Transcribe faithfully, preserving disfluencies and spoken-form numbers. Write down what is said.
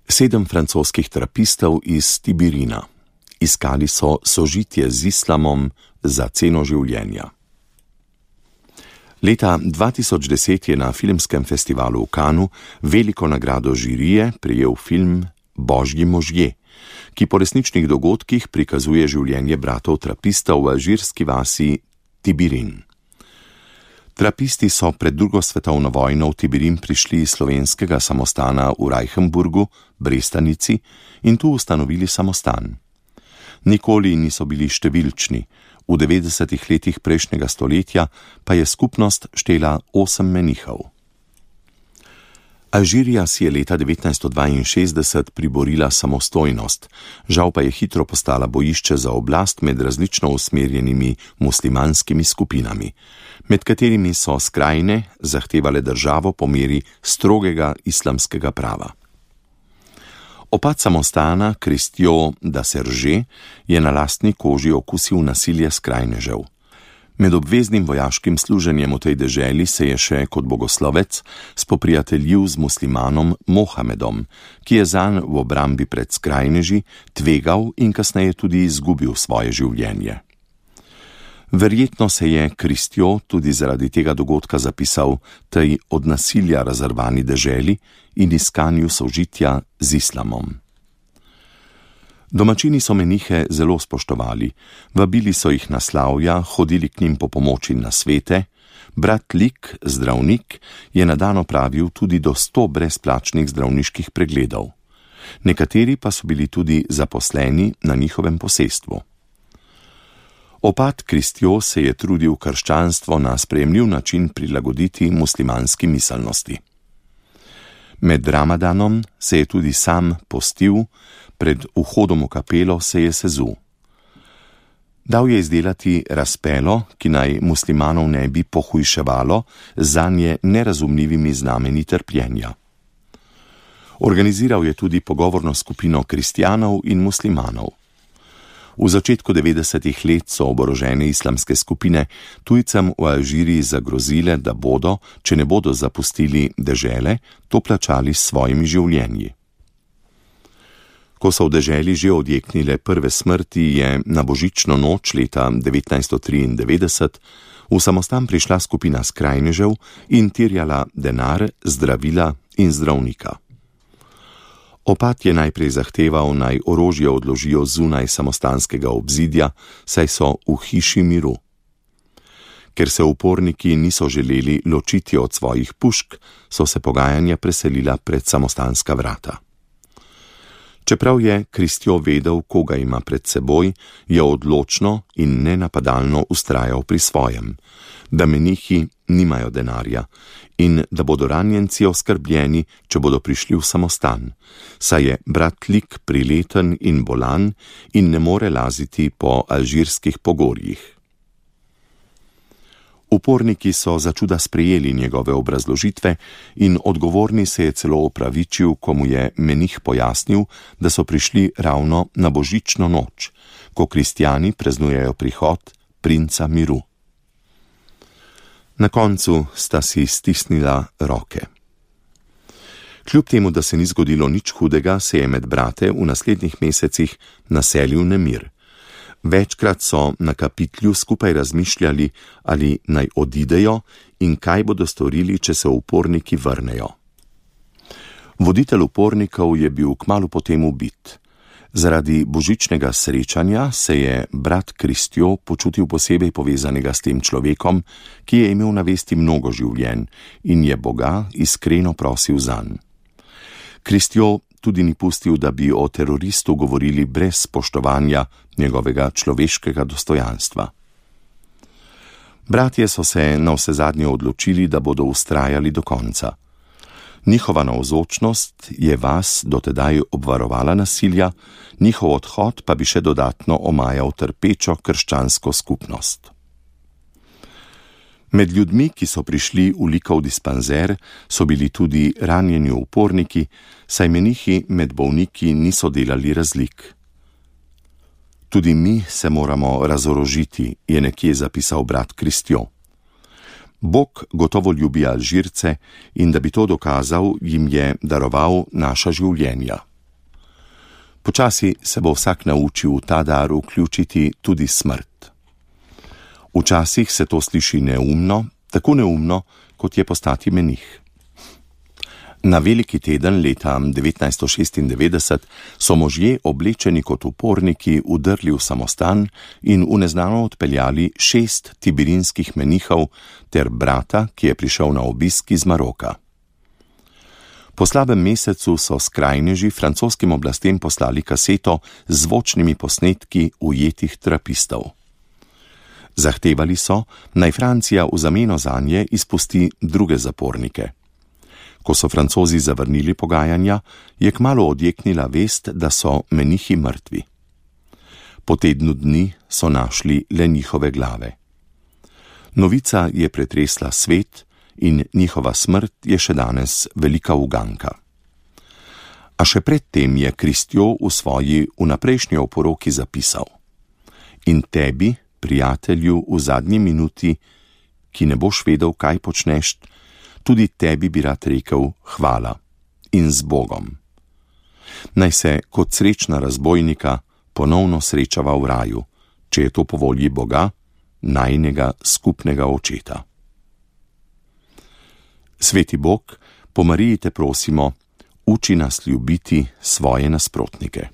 Sedem francoskih trapistov iz Tibirina. Iskali so sožitje z islamom za ceno življenja. Leta dva tisoč deset je na filmskem festivalu v Cannesu veliko nagrado žirije prejel film Božji možje, ki po resničnih dogodkih prikazuje življenje bratov trapistov v alžirski vasi Tibirin. Trapisti so pred drugo svetovno vojno v Tibirin prišli iz slovenskega samostana v Reichenburgu, Brestanici, in tu ustanovili samostan. Nikoli niso bili številčni, v devetdesetih letih prejšnjega stoletja pa je skupnost štela osem menihov. Alžirija si je leta devetnajststo dvainšestdeset priborila samostojnost, žal pa je hitro postala bojišče za oblast med različno usmerjenimi muslimanskimi skupinami, med katerimi so skrajne zahtevale državo po meri strogega islamskega prava. Opad samostana Christian da Serge je na lastni koži okusil nasilje skrajnežev. Med obveznim vojaškim služenjem v tej deželi se je še kot bogoslovec spoprijateljil z muslimanom Mohamedom, ki je zanj v obrambi pred skrajneži tvegal in kasneje tudi izgubil svoje življenje. Verjetno se je Christian tudi zaradi tega dogodka zapisal tej od nasilja razrvani deželi in iskanju sožitja z islamom. Domačini so menihe zelo spoštovali, vabili so jih na slavja, hodili k njim po pomoči na svete, brat Lik, zdravnik, je na dan opravil tudi do sto brezplačnih zdravniških pregledov. Nekateri pa so bili tudi zaposleni na njihovem posestvu. Opat Christian se je trudil krščanstvo na sprejemljiv način prilagoditi muslimanski miselnosti. Med Ramadanom se je tudi sam postil, pred vhodom v kapelo se je sezul. Dal je izdelati razpelo, ki naj muslimanov ne bi pohujševalo zanje nerazumljivimi znameni trpljenja. Organiziral je tudi pogovorno skupino kristjanov in muslimanov. V začetku devetdesetih let so oborožene islamske skupine tujcem v Alžiriji zagrozile, da bodo, če ne bodo zapustili dežele, to plačali s svojimi življenji. Ko so v deželi že odjeknile prve smrti, je na božično noč leta devetnajststo triindevetdeset v samostan prišla skupina skrajnežev in terjala denar, zdravila in zdravnika. Opat je najprej zahteval, naj orožje odložijo zunaj samostanskega obzidja, saj so v hiši miru. Ker se uporniki niso želeli ločiti od svojih pušk, so se pogajanja preselila pred samostanska vrata. Čeprav je Christian vedel, koga ima pred seboj, je odločno in nenapadalno vztrajal pri svojem, da menihi nimajo denarja in da bodo ranjenci oskrbljeni, če bodo prišli v samostan, saj je brat Lik prileten in bolan in ne more laziti po alžirskih pogorjih. Uporniki so začuda sprejeli njegove obrazložitve in odgovorni se je celo opravičil, ko mu je menih pojasnil, da so prišli ravno na božično noč, ko kristjani praznujejo prihod princa miru. Na koncu sta si stisnila roke. Kljub temu, da se ni zgodilo nič hudega, se je med brate v naslednjih mesecih naselil nemir. Večkrat so na kapitlju skupaj razmišljali, ali naj odidejo in kaj bodo storili, če se uporniki vrnejo. Voditelj upornikov je bil kmalu potem ubit. Zaradi božičnega srečanja se je brat Christian počutil posebej povezanega s tem človekom, ki je imel na vesti mnogo življenj in je Boga iskreno prosil zanj. Christian tudi ni pustil, da bi o teroristu govorili brez spoštovanja njegovega človeškega dostojanstva. Bratje so se navsezadnje odločili, da bodo vztrajali do konca. Njihova navzočnost je vas dotedaj obvarovala nasilja, njihov odhod pa bi še dodatno omajal trpečo krščansko skupnost. Med ljudmi, ki so prišli v Likov dispanzer, so bili tudi ranjeni uporniki, saj menihi med bolniki niso delali razlik. Tudi mi se moramo razorožiti, je nekje zapisal brat Christian. Bog gotovo ljubi Alžirce in da bi to dokazal, jim je daroval naša življenja. Počasi se bo vsak naučil v ta dar vključiti tudi smrt. Včasih se to sliši neumno, tako neumno, kot je postati menih. Na veliki teden leta devetnajststo šestindevetdeset so možje oblečeni kot uporniki vdrli v samostan in v neznano odpeljali šest tibirinskih menihov ter brata, ki je prišel na obisk iz Maroka. Po slabem mesecu so skrajneži francoskim oblastem poslali kaseto z zvočnimi posnetki ujetih trapistov. Zahtevali so, naj Francija v zameno zanje izpusti druge zapornike. Ko so Francozi zavrnili pogajanja, je kmalu odjeknila vest, da so menihi mrtvi. Po tednu dni so našli le njihove glave. Novica je pretresla svet in njihova smrt je še danes velika uganka. A še predtem je Christiot v svoji vnaprejšnji oporoki zapisal: In tebi, prijatelju, v zadnji minuti, ki ne boš vedel, kaj počneš, tudi tebi bi rad rekel hvala in z Bogom. Naj se kot srečna razbojnika ponovno srečava v raju, če je to po volji Boga, najinega skupnega očeta. Sveti Bog, po Mariji te prosimo, uči nas ljubiti svoje nasprotnike.